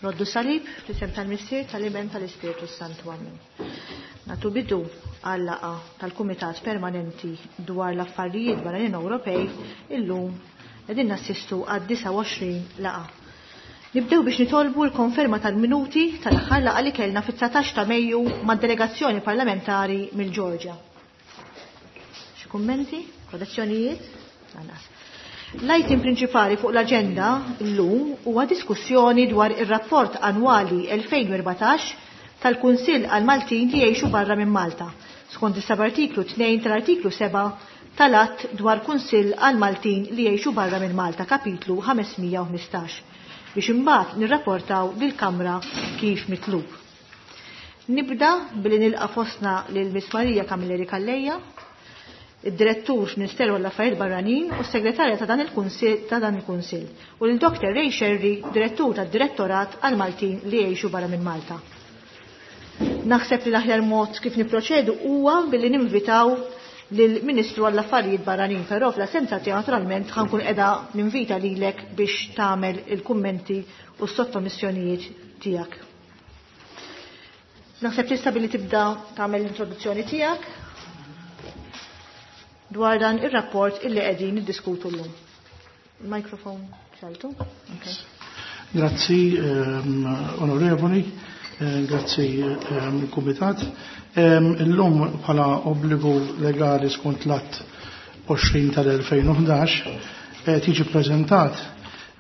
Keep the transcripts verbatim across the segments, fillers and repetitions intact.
Roddu salib, fl-isem tal-Missier, tal-Iben, tal-Ispirtu Santu. Amen. Natu bidu għal-laqgħa tal-Kumitat Permanenti dwar l-Affarijiet Barranin Ewropej illum qegħdin nassistu għad disgħa u għoxrin laqgħa. Nibdew biex nitolbu l-konferma tal-minuti tal-aħħar laqgħa li kellna fit-dsatax ta' Mejju mad-delegazzjoni parlamentari mill-Ġorġja. Xi kummenti? Korrezzjonijiet? Lanqas. L-item prinċipali fuq l-aġenda llum huwa diskussjoni dwar ir-rapport annwali elfejn u erbatax tal-Kunsill għal-Maltin li jgħixu barra minn Malta, skont is-seba' artiklu tnejn tal-artiklu seba' tal-Att dwar Kunsill għal-Maltin li jgħixu barra minn Malta, kapitlu ħamesmija u ħmistax, biex imbagħad nirrapportaw lill-Kamra kif mitlub. Nibda billi nilqa' fostna lil Miss Marija Camilleri Calleja, id-direttur f'Ministeru għall-Affarijiet Barranin u s-segretarja ta' dan il-Kunsill ta' dan il-Kunsill, u lil Doktor Ray Scerri, direttur tad-Direttorat għal-Maltin li jgħixu barra minn Malta. Naħseb li l-aħjar mod kif niproċedu huwa billi ninvitaw lill-Ministru għall-Affarijiet Barranin, però fl-assenza tiegħu naturalment ħankun qiegħda ninvita lilek biex tagħmel il-kummenti u s-sottomissjonijiet tiegħek. Naħseb tista' billi tibda tagħmel l-introduzzjoni tiegħek dwar dan ir-rapport illi qegħdin niddiskutu llum. Il-mikrofon xaltu? Okay. Grazzi, ehm, onorevoli, eh, grazzi, ehm, Kumitat. Ehm, illum bħala obbligu legali skont l-att għoxrin tal-elfejn u ħdax, eh, tiġi preżentat,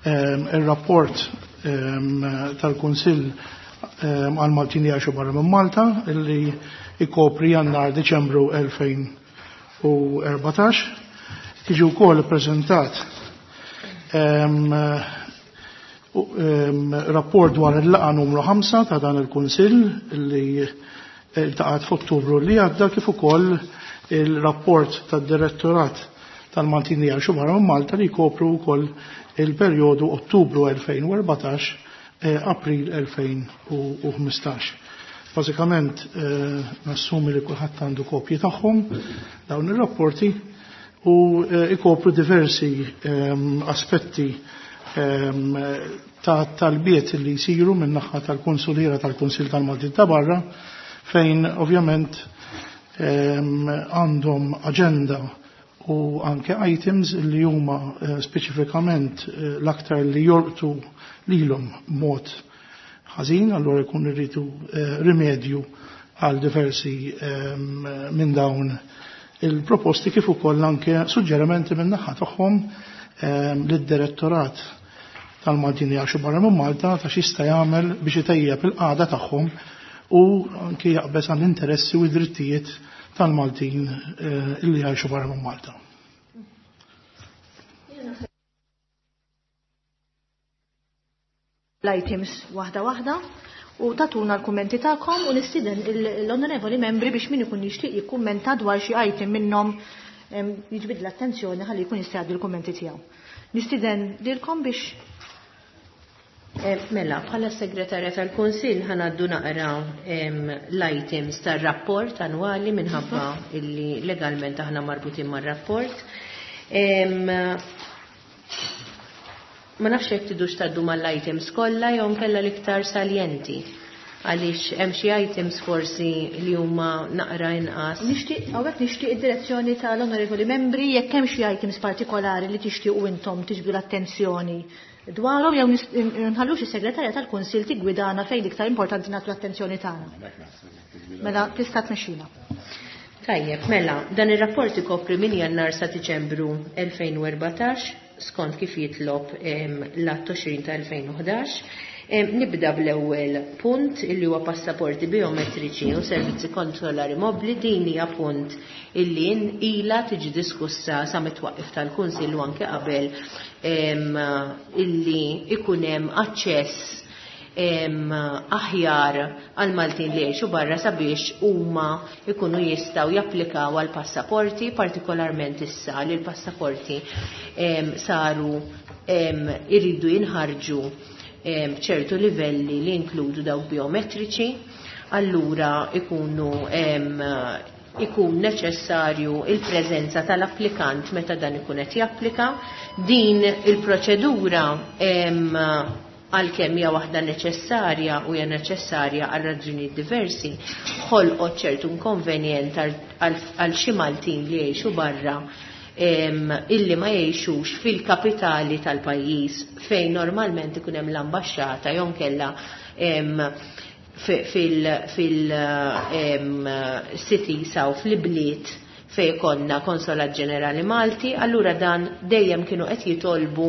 ehm, ir-rapport, ehm, tal-Kunsill, ehm, għal-Maltin li jgħixu barra minn Malta illi ikopri Jannar Diċembru elfejn u erbatax. Tiġi wkoll ippreżentat, ehm, ehm, rapport dwar il-laqgħa numru ħamsa ta' dan il-Kunsill li iltaqgħet f'Ottubru li għadda, kif ukoll il-rapport tad-Direttorat tal-Maltin li jgħixu barra minn Malta li jkopru wkoll il-perjodu Ottubru elfejn u erbatax, eh, April elfejn u ħmistax. Bażikament, eh, nassumi li kulħadd għandu kopji tagħhom dawn ir-rapporti u, eh, ikopru diversi, ehm, aspetti, ehm, ta' talbiet li jsiru min-naħa tal-Konsuliera tal-Kunsill tal-Maltin ta' barra, fejn ovvjament, ehm, għandhom aġenda u anke items li huma, eh, speċifikament, eh, l-aktar li jolqtu lilhom mod ħażin, allura jkun irridu, eh, rimedju għal diversi, ehm, minn dawn il-proposti, kif ukoll anke suġġerimenti minn naħa tagħhom, ehm, lid-Direttorat tal-Maltin li jgħixu barra minn Malta ta' x'jista' jagħmel biex itejjeb il-qagħda tagħhom u anke jaqbeż għall-interessi u d-drittijiet tal-Maltin, eh, illi jgħixu barra minn Malta. L-items waħda waħda u tatuna l-kummenti tagħkom u nistieden il-, l-onorevoli membri biex min ikun jixtieq jikkummenta dwar xi item minnhom, em, jiġbid l-attenzjoni ħalli jkun jista' jgħaddi l-kummenti tiegħu. Nistieden lilkom biex Eh, mela, bħala segretarja tal-Kunsill ħanaddu naqra, em, l-items tar-rapport annwali minħabba illi legalment aħna marbutin mar-rapport. Em, ma nafx jekk tidux tgħaddu mal-items kollha jew nkella l-iktar saljenti, għaliex hemm xi items forsi li huma naqra inqas. Nixtieq, hawnhekk nixtieq id-direzzjoni tal-onorevoli membri jekk hemm xi items partikolari li tixtiequ intom tiġbdu l-attenzjoni dwarhom jew nis-, nħallux is-segretarja tal-Kunsill tiggwidana fejn l-iktar importanti nagħtu l-attenzjoni tagħna. Mela tista' tmexxina. Tajjeb, mela, dan ir-rapport ikopri minn Jannar sa Diċembru elfejn u erbatax, skont kif jitlob, em, l-att għoxrin ta' elfejn u ħdax. Em, nibda bl-ewwel punt illi huwa passaporti biometriċi u servizzi konsolari mobbli. Din hija punt illi ilha tiġi diskussa sa mit-twaqqif tal-Kunsill u anke qabel, em, illi ikun hemm aċċess, em, aħjar għal Maltin li jgħixu barra sabiex huma ikunu jistgħu japplikaw għal passaporti, partikolarment issa li l-passaporti, em, saru, em, iridu jinħarġu, em, ċertu livelli li inkludu dawk biometriċi, allura ikunu, em, ikun neċessarju il-preżenza tal-applikant meta dan ikun qed japplika. Din il-proċedura, em, għalkemm hija waħda neċessarja u hija neċessarja għal raġunijiet diversi, ħolqot ċertu inkonvenjent għal xi Maltin li jgħixu barra illi ma jgħixux fil-kapitali tal-pajjiż fejn normalment ikun hemm l-ambaxxata jew inkella fil-cities aw fl-ibliet fejn konna Konsolat Ġenerali Malti, allura dan dejjem kienu qed jitolbu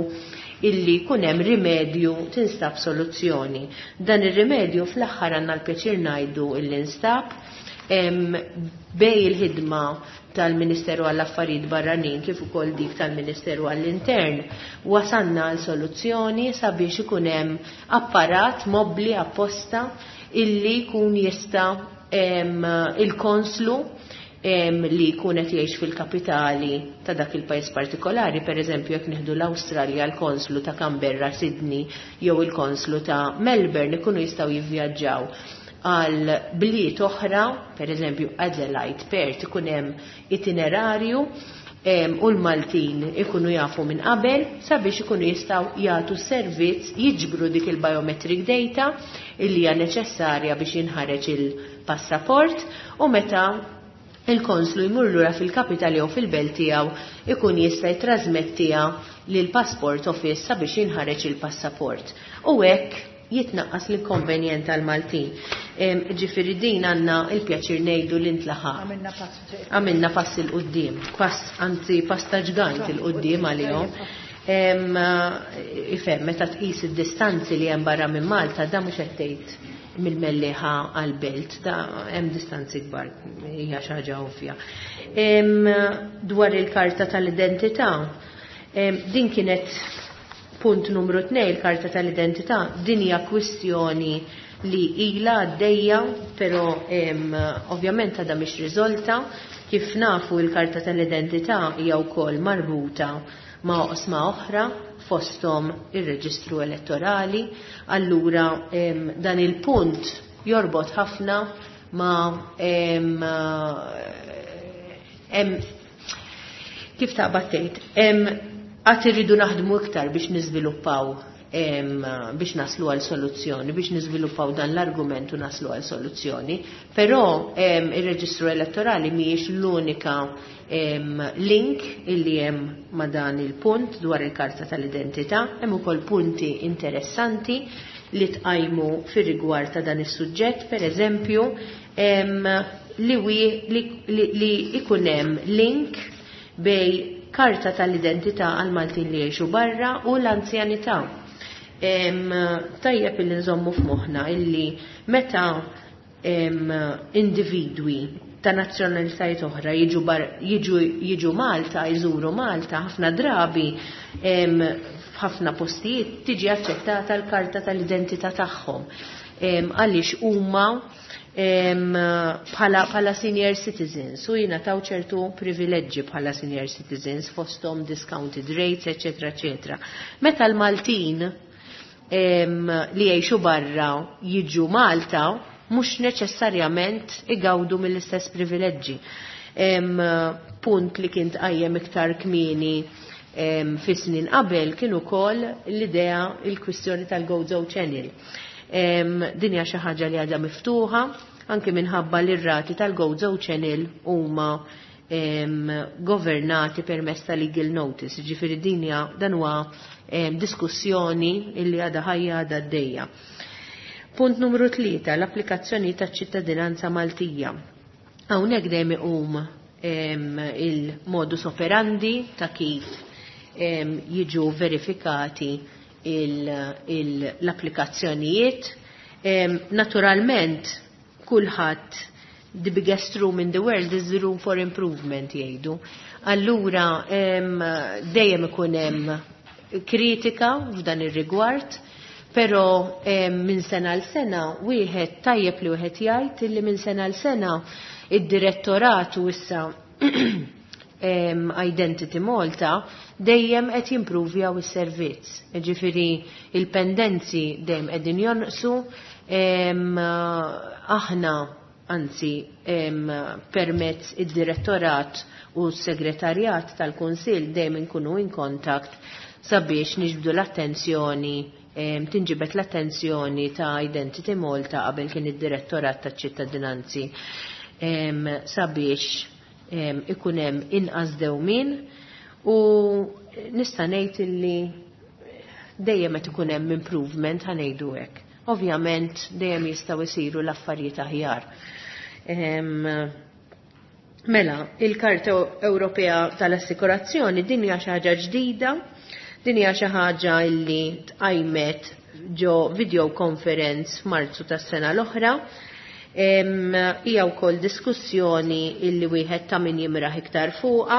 illi jkun hemm rimedju, tinstab soluzzjoni. Dan ir-rimedju fl-aħħar għandna l-pjaċir ngħidu illi nstab bej il-ħidma tal-Ministeru għall-Affarijiet Barranin kif ukoll dik tal-Ministeru għall-Intern, wasanna għal soluzzjoni sabiex ikun hemm apparat mobbli apposta illi jkun jista' il-konslu li jkun qed jgħix fil-kapitali ta' dak il-pajjiż partikolari, pereżempju jekk nieħdu l-Awstralja, l-konslu ta' Canberra, Sydney jew il-konslu ta' Melbourne ikunu jistgħu jivvjaġġaw għal bliet oħra, pereżempju Adelaide, Perth, ikun hemm itinerarju u l-Maltin ikunu jafu minn qabel sabiex ikunu jistgħu jagħtu servizz, jiġbru dik il-biometric data illi hija neċessarja biex jinħareġ il-passaport, u meta il-konslu jmur lura fil-kapitali jew fil-belt tiegħu ikun jista' jitrasmettiha lil passport office sabiex jinħareġ il-passaport. U hekk jitnaqqas l-inkonvenjent tal-Maltin. Ġifieri din għandna il-pjaċir ngħidu li ntlaħaq. Għamilna pass. Għamilna pass 'il quddiem, pass anzi pass ta' ġgant 'il quddiem għalihom. Ifhem, meta tqis id-distanzi li hemm barra minn Malta, da mhux qed tgħid mill-Mellieħa għal-belt, da hemm distanzi kbar, hija xi ħaġa ovvja. Dwar il-karta tal-identità, din kienet punt numru tnejn, il-karta tal-identità, din hija kwistjoni li ilha għaddejja, però ovvjament għadha mhix riżolta. Kif nafu, il-karta tal-identità hija wkoll marbuta ma' oqsma oħra, fosthom ir-reġistru elettorali, allura dan il-punt jorbot ħafna ma' em, kif taqbad tgħid, għad irridu naħdmu iktar biex niżviluppaw, biex naslu għal soluzzjoni, biex niżviluppaw dan l-argument u naslu għal soluzzjoni, però ir-reġistru elettorali mhijiex l-unika link illi hemm ma' dan il-punt dwar il-karta tal-identità. Hemm ukoll punti interessanti li tqajmu fir-rigward ta' dan is-suġġett, per eżempju li, li, li, li ikun hemm link bej karta tal-identità għal Maltin li jgħixu barra u l-anzjanità. Tajjeb illi nżommu f'moħħna illi meta individwi ta' nazzjonalitajiet oħra jiġu, bar, jiġu, jiġu Malta, jżuru Malta, ħafna drabi f'ħafna postijiet tiġi aċċettata l-karta tal-identità tagħhom. Għaliex huma bħala, bħala senior citizens u jingħataw ċertu privileġġi bħala senior citizens, fosthom discounted rates, eccetera, eccetera. Meta l-Maltin li jgħixu barra jiġu Malta, mhux neċessarjament igawdu mill-istess privileġġi. Punt li kien tqajjem iktar kmieni fi snin qabel kien ukoll l-idea, il-kwistjoni tal-Gozo Channel. Din hija xi ħaġa li għadha miftuħa anke minħabba li r-rati tal-Gozo Channel huma governati permezz ta' legal notice. Ġifieri din hija, dan huwa diskussjoni illi għadha ħajja, għadha għaddejja. Punt numru tlieta, l-applikazzjoni ta' ċittadinanza Maltija. Hawnhekk dejjem iqum il-modus operandi ta' kif jiġu verifikati l-applikazzjonijiet. Naturalment, kulħadd, "The biggest room in the world is the room for improvement," jgħidu. Allura dejjem ikun hemm kritika f'dan ir-rigward, però minn sena l sena wieħed tajjeb li wieħed jgħid li minn sena l sena id-direttorat u issa Identity Malta dejjem qed jimpruvjaw is-servizz. Ġifieri il-pendenzi dejjem qegħdin jonqsu, aħna anzi permezz id-direttorat u s-segretarjat tal-Kunsill dejjem inkunu in contact sabiex niġbdu l-attenzjoni tinġibet l-attenzjoni ta' Identity Malta qabel kien id-Direttorat taċ-Ċittadinanzi sabiex ikun hemm inqas dewmien u nista' ngħid illi dejjem qed ikun hemm improvement, ħa ngħidu hekk. Ovvjament dejjem jistgħu jsiru l-affarijiet aħjar. Mela, il-Karta Ewropea tal-Assikurazzjoni din hija xi ħaġa ġdida. Din hija xi ħaġa li tqajmet ġo video conference f'Marzu tas-sena l-oħra. Hija wkoll diskussjoni illi wieħed ta' min jimraħ iktar fuqha.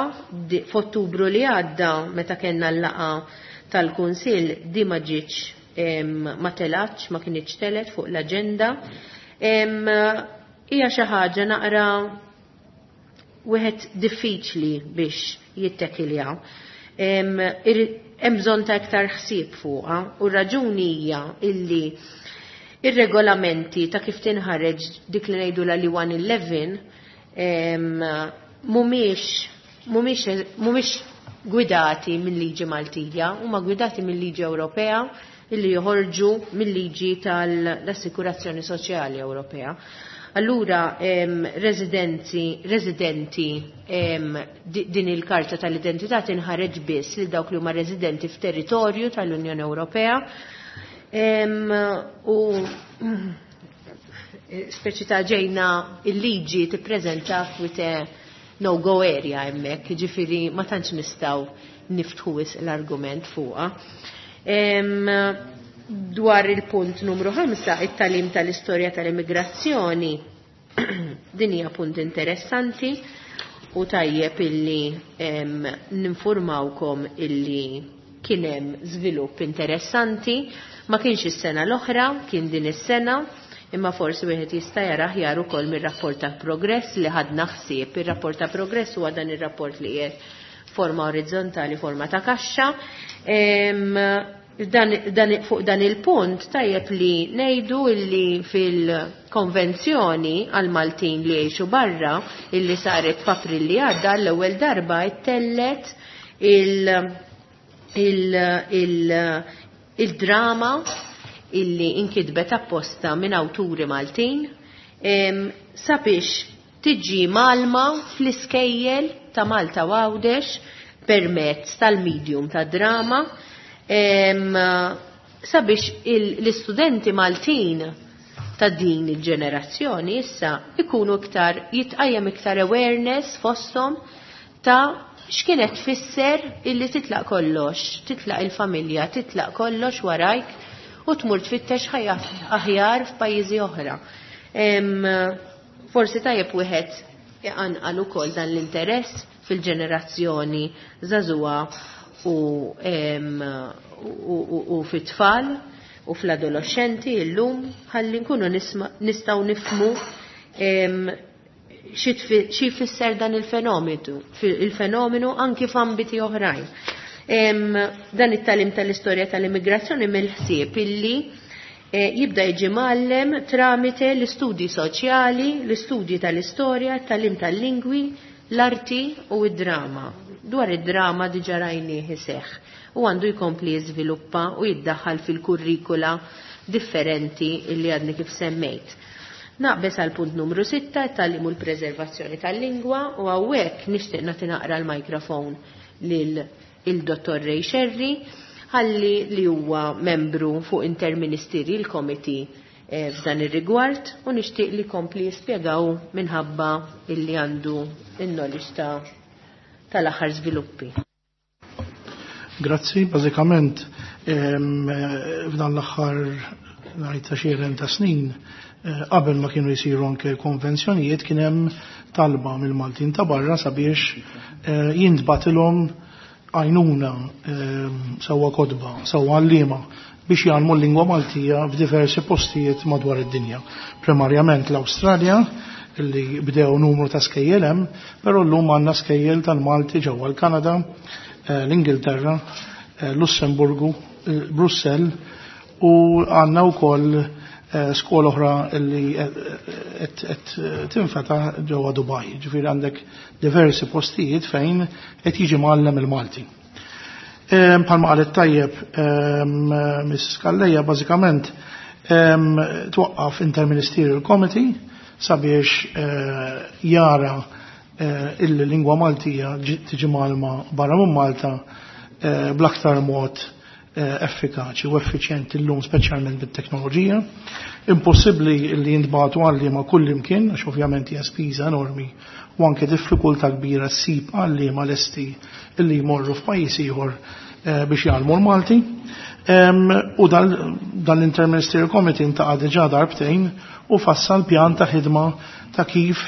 F'Ottubru li għadda meta kellna l-laqgħa tal-Kunsill di ma ġietx, ma telatx, ma kinitx telet fuq l-aġenda. Hija xi ħaġa naqra wieħed diffiċli biex jittekilja. Hemm bżonn ta' iktar ħsieb fuqha u r-raġuni hija illi ir-regolamenti ta' kif tinħareġ dik li ngħidu la li one eleven mhumiex mhumiex mhumiex gwidati mill-liġi Maltija, huma gwidati mill-liġi Ewropea illi joħorġu mill-liġi tal-Assikurazzjoni Soċjali Ewropea. Allura, residenzi, residenti din il-karta tal-identità tinħareġ biss li dawk li huma residenti f'territorju tal-Unjoni Ewropea. U speċi ta' ġejna il-liġi tippreżenta f'wite no-go area hemmhekk, ġifieri ma tantx nistgħu niftħu l-argument fuqha. Dwar il-punt numru ħamsa, it-tagħlim tal-istorja tal-immigrazzjoni, din hija punt interessanti u tajjeb illi ninformawkom illi kien hemm żvilupp interessanti. Ma kienx is-sena l-oħra, kien din is-sena, imma forsi wieħed jista' jara aħjar ukoll mir-rapport ta' progress li ħadna ħsieb. Ir-rapport ta' progress huwa dan ir-rapport li qiegħed forma orizzontali, forma ta' kaxxa. Dan, dan, fuq dan il-punt tajjeb li ngħidu illi fil-konvenzjoni għal Maltin li jgħixu barra illi saret f'April li għadda, l-ewwel darba ittellet il, il, il, il-drama illi inkitbet apposta minn awturi Maltin sabiex tiġi mgħallma fl-iskejjel ta' Malta u Għawdex permezz tal-medium ta' drama sabiex l-istudenti Maltin ta' din il-ġenerazzjoni issa ikunu iktar, jitqajjem iktar awareness fosthom ta' x'kienet tfisser illi titlaq kollox, titlaq il-familja, titlaq kollox warajk u tmur tfittex ħajja aħjar f'pajjiżi oħra. Forsi tajjeb wieħed iqanqal ukoll dan l-interess fil-ġenerazzjoni żagħżugħa u, u, u fit-tfal u fl-adolescenti illum ħalli nkunu nistgħu nifhmu xi jfisser dan il-fenomenu, il-fenomenu anki f'ambiti oħrajn. Dan it-tagħlim tal-istorja tal-immigrazzjoni mill-ħsieb illi eh, jibda jiġi mgħallem tramite l-istudji soċjali, l-istudji tal-istorja, it-tagħlim tal-lingwi, l-arti u id-drama. Dwar id-drama diġa rajnieh iseħħ u għandu jkompli jiżviluppa u jiddaħħal fil-kurrikula differenti illi għadni kif semmejt. Naqbes għal punt numru sitta, it-tagħlim u l-preservazzjoni tal-lingwa, u hawnhekk nixtieq nagħti naqra l-mikrofon lil il-Dottor Ray Scerri ħalli li huwa membru fuq Interministerial Committee eh, f'dan ir-rigward u nixtieq li kompli jispjegaw minħabba illi għandu il-knowledge ta' tal-aħħar żviluppi. Grazzi, bażikament f'dan l-aħħar ngħid ta' xi ta' snin, eh, qabel ma kienu jisiru anke konvenzjonijiet, kien hemm talba mill-Maltin ta' barra sabiex eh, jintbagħtilhom għajnuna, sewwa kotba, sewwa għalliema biex jgħallmu l-lingwa Maltija f'diversi postijiet madwar id-dinja. Primarjament l-Awstralja, li bdew numru ta' skejjel hemm, però llum għandna skejjel tal-Malti ġewwa l-Kanada, eh, l-Ingilterra, eh, Lussemburgu, eh, Brussell u għandna wkoll skola oħra li qed tinfetaħ ġewwa Dubai. Ġifieri għandek diversi postijiet fejn qed jiġi mgħallem il-Malti. Bħalma qalet tajjeb Missus Calleja, bażikament twaqqaf Interministerial Committee sabiex eh, jara eh, il-lingwa Maltija tiġi mgħallma barra minn Malta eh, bl-aktar mod effikaċi u effiċjenti llum, speċjalment bit-teknoloġija. Impossibbli li jintbagħtu għalliema kull imkien, għax ovvjament hija spiża enormi u anke diffikultà kbira ssib għalliema lesti illi jmorru f'pajjiż ieħor biex jgħallmu l-Malti. U dal-Interministerial Committee intaqa' diġà darbtejn u fassal pjan ta' ħidma ta' kif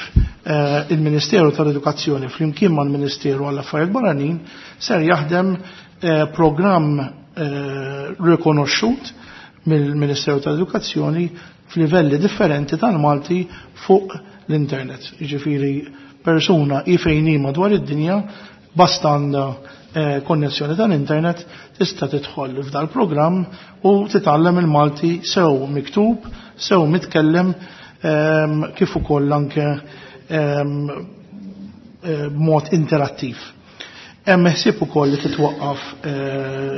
il-Ministeru tal-Edukazzjoni flimkien mal-Ministeru għall-Affarijiet Barranin ser jaħdem programm rikonoxxut mill-Ministeru tal-Edukazzjoni f'livelli differenti tal-Malti fuq l-internet. Jiġifieri persuna hi fejn hi madwar id-dinja, basta għandha konnessjoni tal-internet, tista' tidħol f'dal programm u titgħallem il-Malti sew miktub, sew mitkellem, kif ukoll anke b'mod interattiv. Hemm ħsieb ukoll li titwaqqaf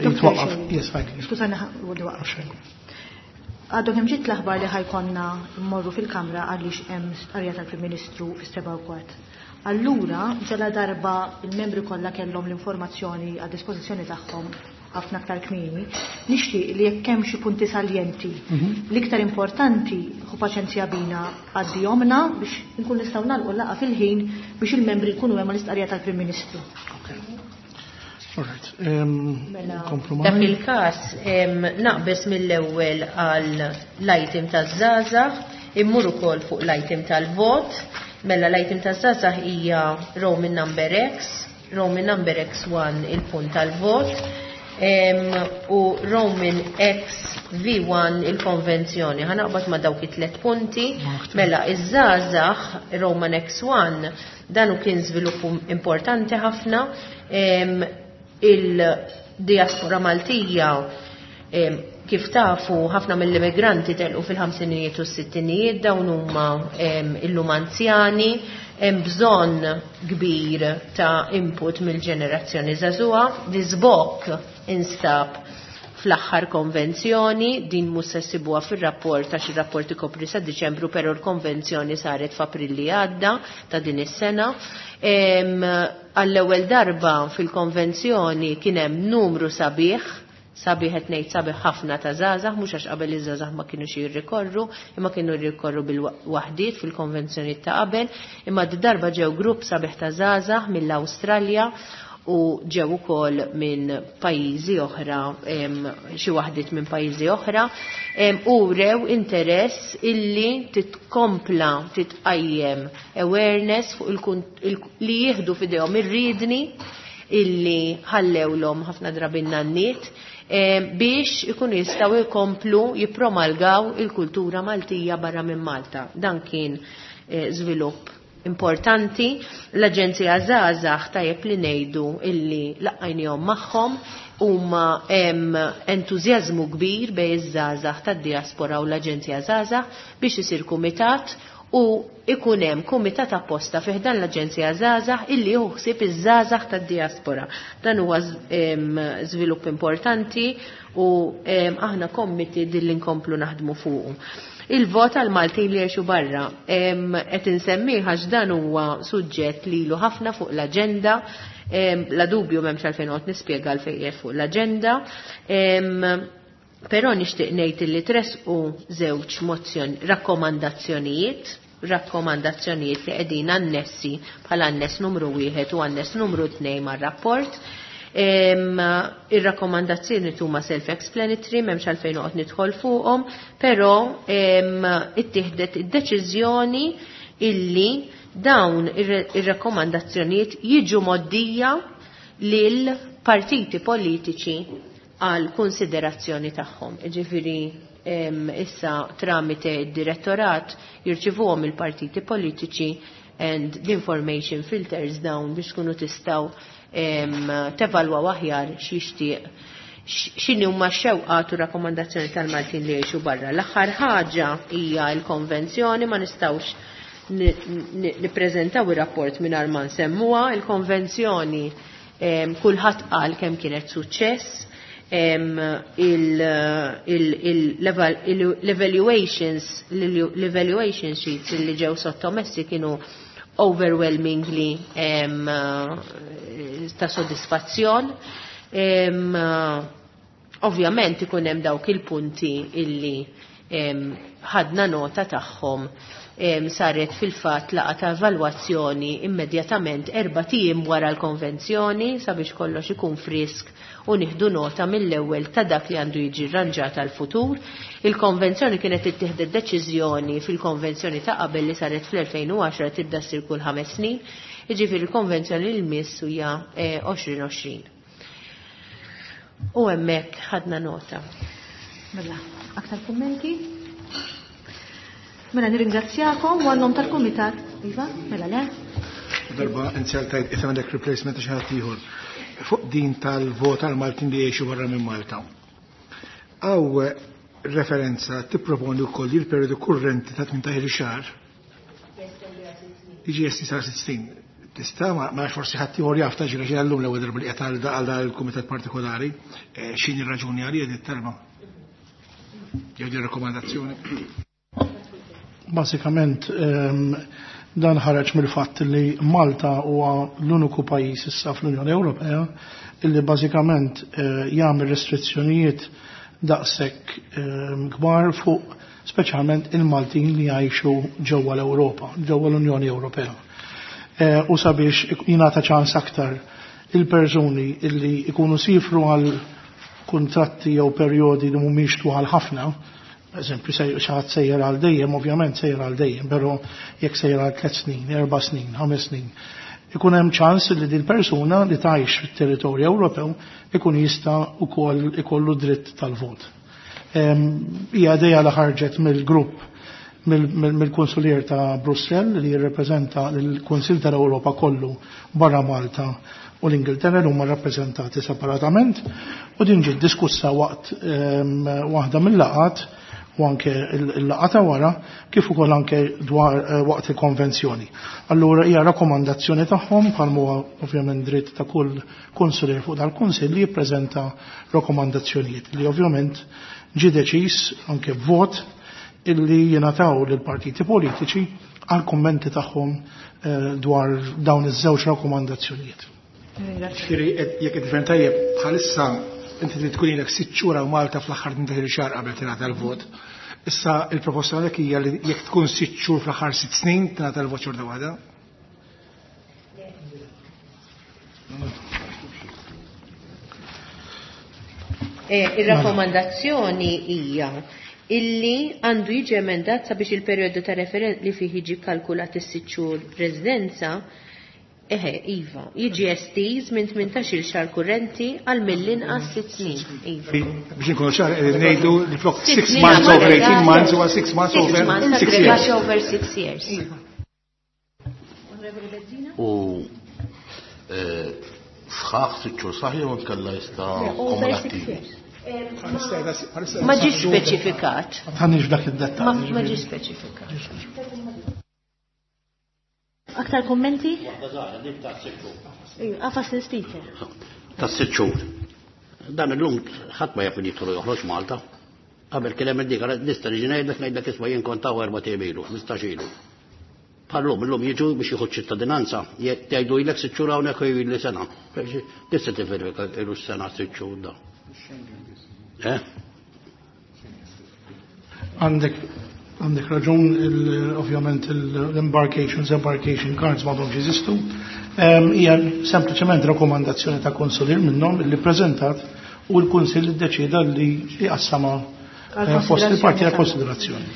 jitwaqqaf. Yes, fine. Skużani, waqaf. Għadu kemm ġiet l-aħbar li ħajkonna mmorru fil-Kamra għaliex hemm stqarrija tal-Prim Ministru fis-seba' u kwart. Allura, ġala darba il-membri kollha kellhom l-informazzjoni għad dispożizzjoni tagħhom ħafna aktar kmieni, nixtieq li jekk hemm xi punti saljenti l-iktar importanti, ħu paċenzja bina għaddihomna biex nkun nistgħu nagħlqu laqgħa fil-ħin biex il-membri jkunu hemm l-istqarrija tal-Prim Ministru. All right. Mela, dak il-każ naqbes mill-ewwel għal l-item taż-żgħażagħ, immur ukoll fuq l-item tal-vot. Mela l-item taż-żgħażagħ hija Roman number X, Roman number X one il-punt tal-vot, u Roman X V one il-konvenzjoni. Ħanaqbad ma' dawk it-tlet punti. Mela iż-żgħażagħ Roman X one dan kien żvilupp importanti ħafna. Il-diaspora Maltija, kif tafu, ħafna mill-immigranti telqu fil-ħamsinijiet u s-sittinijiet, dawn huma illum anzjani, hemm bżonn kbir ta' input mill-ġenerazzjoni żagħżugħa. L-iżbokk instab fl-aħħar konvenzjoni, din mhux se ssibuha fir-rapport għax ir-rapport ikopri sa Diċembru, però l-konvenzjoni saret f'April li għadda ta' din is-sena. Għall-ewwel darba fil-konvenzjoni kien hemm numru sabiħ, sabiħ qed ngħid sabiħ ħafna ta' żgħażagħ, mhux għax qabel iż-żgħażagħ ma kinux jirrikorru, imma kienu jirrikorru bil-waħdiet fil-konvenzjoni ta' qabel, imma d-darba ġew grupp sabiħ ta' żgħażagħ mill-Awstralja u ġew ukoll minn pajjiżi oħra, xi waħdiet minn pajjiżi oħra, u rew interess illi titkompla titqajjem awareness fuq li jieħdu f'idejhom ir-riedni illi ħallewlhom ħafna drabi n-nanniet biex ikunu jistgħu jkomplu jippromalgaw il-kultura Maltija barra minn Malta. Dan kien żvilupp importanti. L-Aġenzija Żgħażagħ tajjeb li ngħidu illi laqajnihom magħhom, huma hemm entużjażmu kbir bejn iż-żgħażagħ tad-diaspora u l-Aġenzija Żgħażagħ biex isir kumitat u ikun hemm kumitat apposta fih dan l-Aġenzija Żgħażagħ illi jieħu ħsieb iż-żgħażagħ tad-diaspora. Dan huwa żvilupp importanti u aħna kommiti dilli nkomplu naħdmu fuqu. Il-vot għal Maltin li jgħixu barra qed insemmih għax dan huwa suġġett lilu ħafna fuq l-aġenda, la dubju m'hemmx għalfejn noqgħod nispjega għalfejn qiegħed fuq l-aġenda. Però nixtieq ngħid li tresqu żewġ mozzjoni rakkomandazzjonijiet, rakkomandazzjonijiet li qegħdin annessi bħala annes numru wieħed u annes numru tnejn mar-rapport. Ir-rakkomandazzjoni huma self-explanatory, m'hemmx għalfejn noqgħod nidħol fuqhom, però ittieħdet id-deċiżjoni illi dawn ir-rakkomandazzjonijiet jiġu moddija lil partiti politiċi għal konsiderazzjoni tagħhom. Jiġifieri issa tramite id-direttorat jirċivuhom il-partiti politiċi and the information filters down biex tkunu tistgħu tevalwaw aħjar x'jixtieq x'inhi huma x-xewqat u rakkomandazzjoni tal-Maltin li jgħixu barra. L-aħħar ħaġa hija l-konvenzjoni, ma nistgħux nippreżentaw ir-rapport mingħajr ma nsemmuha. Il-konvenzjoni Kulħadd qal kemm kienet suċċess. L-evaluations, l-evaluation sheets li ġew sottomessi kienu overwhelmingly ta' sodisfazzjon. Ovvjament ikun hemm dawk il-punti illi ħadna nota tagħhom. Saret fil-fatt laqgħa ta' evalwazzjoni immedjatament erba' ijiem wara l-konvenzjoni sabiex kollox ikun frisk u nieħdu nota mill-ewwel ta' dak li għandu jiġi rranġat għal futur. Il-konvenzjoni kienet ittieħdet deċiżjoni fil-konvenzjoni ta' qabel li saret fl-elfejn u għaxra tibda ssir kull ħames snin, jiġifieri l-konvenzjoni li jmiss hija għoxrin għoxrin. U hemmhekk ħadna nota. Mela, aktar kummenti? Mela nirringrazzjakom u għan-nom tal-Kumitat. Iva, mela le? Darba inzertajt qed għandek replacement ta' xi ħadd ieħor. Fuq din tal-vot għal Maltin li jgħixu barra minn Malta. Hawn referenza tipproponi wkoll li l-perjodu kurrenti ta' tmintax-il xahar jiġi esti sa' sitt snin. Tista' ma nafx forsi ħadd ieħor jaf ta' ġira ġira llum l-ewwel darba li qed għal dan il-kumitat partikolari, x'inhi r-raġuni għalija din it-talba? Jew din rakkomandazzjoni? Basikament, dan ħareġ mill-fatt li Malta huwa l-uniku pajjiż issa fl-Unjoni Ewropea illi bażikament jagħmel restrizzjonijiet daqshekk kbar fuq speċjalment il-Maltin li jgħixu ġewwa l-Ewropa, ġewwa l-Unjoni Ewropea. U sabiex jingħata ċans aktar il-persuni illi jkunu sifru għal kuntratti jew perjodi li mhumiex twal ħafna, eżempju, xi ħadd sejjer għal dejjem, ovvjament sejjer għal dejjem, però jekk sejjer għal tliet snin, erba' snin, ħames snin, ikun hemm ċans li din persuna li tgħix fit-territorju Ewropew ikun jista' wkoll ikollu dritt tal-vot. Hija idea li ħarġet mill-grupp mill-Konsulier ta' Brussell li jirrepreżenta l-Kunsill tal-Ewropa kollu barra Malta u l-Ingilterra li huma rappreżentati separatament, u din ġiet diskussa waqt waħda mill-laqgħat u anke il-laqgħa ta' wara kif ukoll anke dwar waqt il-konvenzjoni. Allura hija rakkomandazzjoni tagħhom bħal huwa ovvjament dritt ta' kull konsulier fuq dal-kunsill li jippreżenta rakkomandazzjonijiet li ovvjament ġie deċiż anke b'vot illi jingħataw lill-partiti politiċi għal kummenti tagħhom dwar dawn iż-żewġ rakkomandazzjonijiet. Ġifieri jekk qed tifhem tajjeb bħalissa inti trid tkun ilek sitt xhur hawn Malta fl-aħħar tmintax-il xahar qabel tingħata l-vot. Issa il-proposta għalhekk hija li jekk tkun sitt xhur fl-aħħar sitt snin tingħata l-vot xorta waħda. Ir-rakkomandazzjoni hija illi għandu jiġi emendat sabiex il-perjodu ta' referen li fih jiġi kalkulat is-sitt xhur residenza, eħe, iva, jiġi estiż minn tmintax-il xahar kurrenti għal mill-inqas sitt snin. Iva. Biex inkunu ċar, qegħdin ngħidu li flok Sitt six snin months over aggregati. eighteen months huwa six months Six over months six aggregati years. over six years. Iva. U sħaħ sitt xhur saħ jew inkella jista' Over six kumulattiv. years. Ma ġiex speċifikat. Ma tħannix f'dak id-dettall. Ma ma ġiex speċifikat. Aktar kummenti? Għafas l-speaker. Ta' sitt xhur. Dan illum ħadd ma jaf min jidħol joħroġ Malta. Qabel kien hemm dik nista' niġi ngħidlek ngħidlek isma' jien kont hawn erba' ijiem ilu, ħmistax ilu. Bħallum illum jiġu biex jieħu ċittadinanza, jgħidu ilek sitt xhur hawnhekk u jgħidli sena. Tista' tifirika ilu sena sitt xhur da. Eh? Għandek għandek raġun, ovvjament l-embarkations, embarkation cards m'għadhomx jeżistu. Hija sempliċement rakkomandazzjoni ta' konsulier minnhom li preżentat u l-Kunsill iddeċieda li jqassama fost il-parti ta' konsiderazzjoni.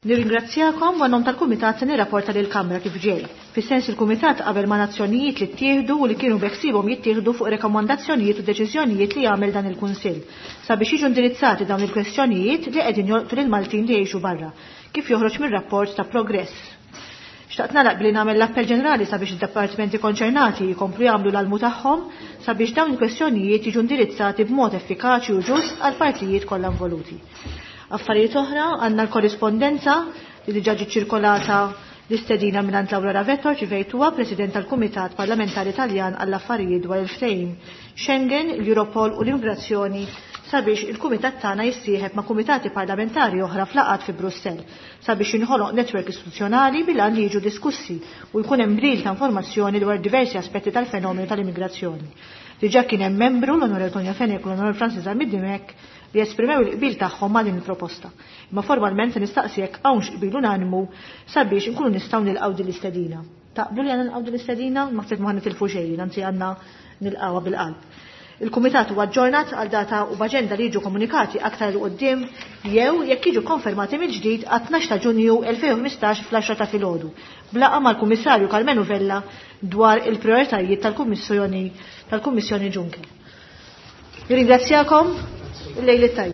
Nirringrazzjakom u għan-nom tal-Kumitat se nirrapporta lil Kamra kif ġej. Fis-sens il-Kumitat qabel ma' nazzjonijiet li ttieħdu u li kienu beħsiebhom jittieħdu fuq rekomandazzjonijiet u deċiżjonijiet li jagħmel dan il-Kunsill sabiex jiġu indirizzati dawn il-kwestjonijiet li qegħdin jolqtu lil Maltin li jgħixu barra, kif joħroġ mir-rapport ta' progress. Xtaqt nagħlaq billi nagħmel l-appell ġenerali sabiex id-dipartimenti konċernati jkomplu jagħmlu l-almu tagħhom sabiex dawn il-kwestjonijiet jiġu indirizzati b'mod effikaċi u ġust għal partijiet kollha involuti. Affarijiet oħra, għandna l-korrispondenza li diġà ġiet ċirkolata L-istedina mingħand Laura Ravetto rċivejtuha, President tal-Kumitat Parlamentari Taljan għall-Affarijiet dwar il-ftehim Schengen, l-Europol u l-Immigrazzjoni sabiex il-Kumitat tagħna jissieħeb ma' kumitati parlamentari oħra f'laqgħat fi Brussell sabiex jinħoloq netwerk istituzzjonali bil-għan li jiġu diskussi u jkun hemm bdil ta' informazzjoni dwar diversi aspetti tal-fenomenu tal-immigrazzjoni. Diġà kien hemm membru l-Onorevoli Tonio Fenech u l-Onorevoli Francis Zammit Dimech li esprimew il-qbil tagħhom ma' din il-proposta. Imma formalment se nistaqsi jekk hawnx qbil unanimu sabiex inkunu nistgħu nilqgħu din l-istedina. Taqblu li għandna nilqgħu din l-istedina? Naħseb ma nitilfu xejn, anzi għandna nilqgħuha bil-qalb. Il-Kumitat huwa aġġornat għal data u b'aġenda li jiġu komunikati aktar 'il quddiem jew jekk jiġu konfermati mill-ġdid għat-tnax ta' Ġunju elfejn u ħmistax fl-għaxra ta' filgħodu b'laqgħa mal-Kummissarju Karmenu Vella dwar il-prijoritajiet tal-Kummissjoni tal-Kummissjoni Juncker. Nirringrazzjakom, il-lejl it-tajjeb.